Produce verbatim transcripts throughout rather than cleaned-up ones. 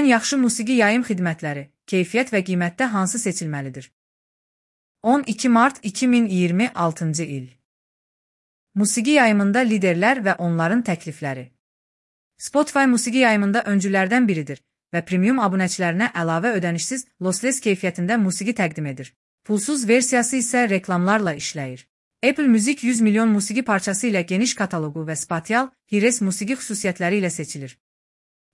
Ən yaxşı musiqi yayım xidmətləri, keyfiyyət və qiymətdə hansı seçilməlidir? on iki mart iki min iyirmi altıncı il. Musiqi yayımında liderlər və onların təklifləri. Spotify musiqi yayımında öncülərdən biridir və premium abunəçilərinə əlavə ödənişsiz lossless keyfiyyətində musiqi təqdim edir. Pulsuz versiyası isə reklamlarla işləyir. Apple Music yüz milyon musiqi parçası ilə geniş kataloqu və spatial, Hires musiqi xüsusiyyətləri ilə seçilir.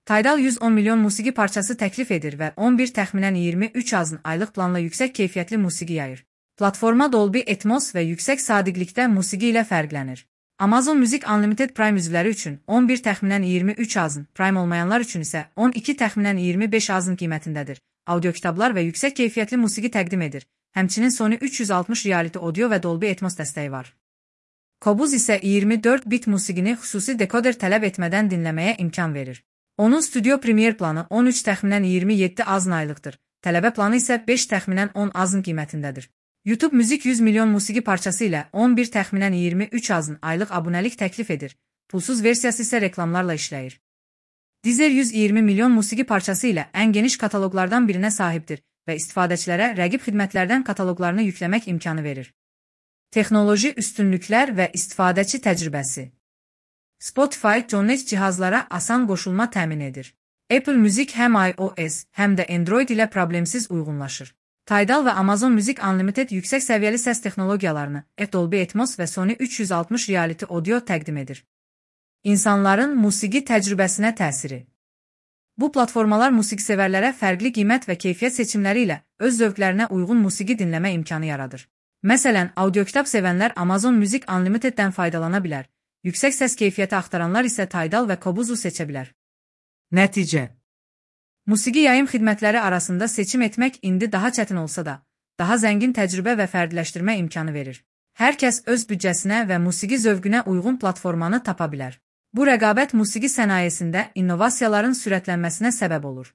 Tidal yüz on milyon musiqi parçası təklif edir və on bir təxminən iyirmi üç azın aylıq planla yüksək keyfiyyətli musiqi yayır. Platforma Dolby Atmos və yüksək sadiqlikdə musiqi ilə fərqlənir. Amazon Music Unlimited Prime üzvləri üçün on bir təxminən iyirmi üç azın, Prime olmayanlar üçün isə on iki təxminən iyirmi beş azın qiymətindədir. Audio kitablar və yüksək keyfiyyətli musiqi təqdim edir. Həmçinin Sony üç yüz altmış reality audio və Dolby Atmos dəstəyi var. Qobuz isə iyirmi dörd bit musiqini xüsusi dekoder tələb etmədən dinləməyə imkan verir. Onun Studio Premier planı on üç təxminən iyirmi yeddi azın aylıqdır. Tələbə planı isə beş təxminən on azın qiymətindədir. YouTube Music yüz milyon musiqi parçası ilə on bir təxminən iyirmi üç azın aylıq abunəlik təklif edir. Pulsuz versiyası isə reklamlarla işləyir. Deezer yüz iyirmi milyon musiqi parçası ilə ən geniş kataloqlardan birinə sahibdir və istifadəçilərə rəqib xidmətlərdən kataloqlarını yükləmək imkanı verir. Texnoloji üstünlüklər və istifadəçi təcrübəsi. Spotify Connect cihazlara asan qoşulma təmin edir. Apple Music həm iOS, həm də Android ilə problemsiz uyğunlaşır. Tidal və Amazon Music Unlimited yüksək səviyyəli səs texnologiyalarını, Dolby Atmos və Sony üç yüz altmış reality audio təqdim edir. İnsanların musiqi təcrübəsinə təsiri. Bu platformalar musiqisevərlərə fərqli qiymət və keyfiyyət seçimləri ilə öz zövqlərinə uyğun musiqi dinləmə imkanı yaradır. Məsələn, audio kitab sevənlər Amazon Music Unlimiteddən faydalana bilər. Yüksək səs keyfiyyəti axtaranlar isə Tidal və Qobuzu seçə bilər. Nəticə. Musiqi yayım xidmətləri arasında seçim etmək indi daha çətin olsa da, daha zəngin təcrübə və fərdiləşdirmə imkanı verir. Hər kəs öz büdcəsinə və musiqi zövqünə uyğun platformanı tapa bilər. Bu rəqabət musiqi sənayesində innovasiyaların sürətlənməsinə səbəb olur.